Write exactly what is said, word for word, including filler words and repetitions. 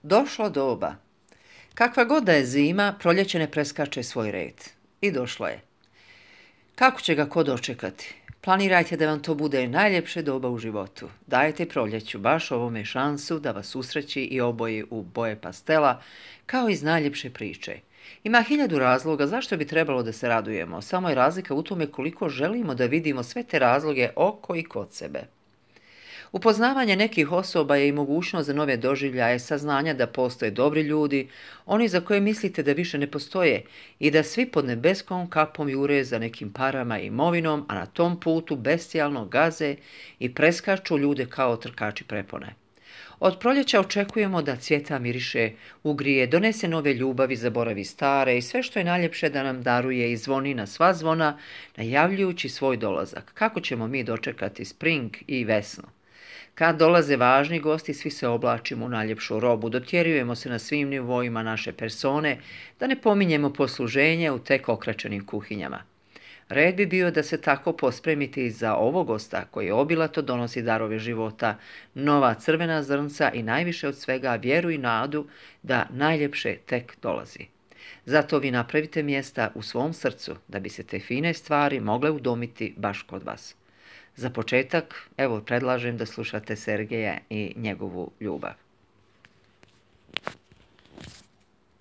Došlo doba. Kakva god da je zima, proljeće ne preskače svoj red. I došlo je. Kako će ga ko dočekati? Planirajte da vam to bude najljepše doba u životu. Dajte proljeću baš ovome šansu da vas usreći i oboji u boje pastela, kao iz najljepše priče. Ima hiljadu razloga zašto bi trebalo da se radujemo, samo je razlika u tome koliko želimo da vidimo sve te razloge oko i kod sebe. Upoznavanje nekih osoba je i mogućnost za nove doživljaje, saznanja da postoje dobri ljudi, oni za koje mislite da više ne postoje i da svi pod nebeskom kapom jure za nekim parama i imovinom, a na tom putu bestijalno gaze i preskaču ljude kao trkači prepone. Od proljeća očekujemo da cvjeta miriše, ugrije, donese nove ljubavi, zaboravi stare i sve što je najljepše da nam daruje i zvoni na sva zvona, najavljujući svoj dolazak. Kako ćemo mi dočekati spring i vesnu? Kad dolaze važni gosti, svi se oblačimo u najljepšu robu, dotjerujemo se na svim nivoima naše persone, da ne pominjemo posluženje u tek okračenim kuhinjama. Red bi bio da se tako pospremite i za ovog gosta koji obilato donosi darove života, nova crvena zrnca i najviše od svega vjeru i nadu da najljepše tek dolazi. Zato vi napravite mjesta u svom srcu da bi se te fine stvari mogle udomiti baš kod vas. Za početak, evo, predlažem da slušate Sergeja i njegovu ljubav.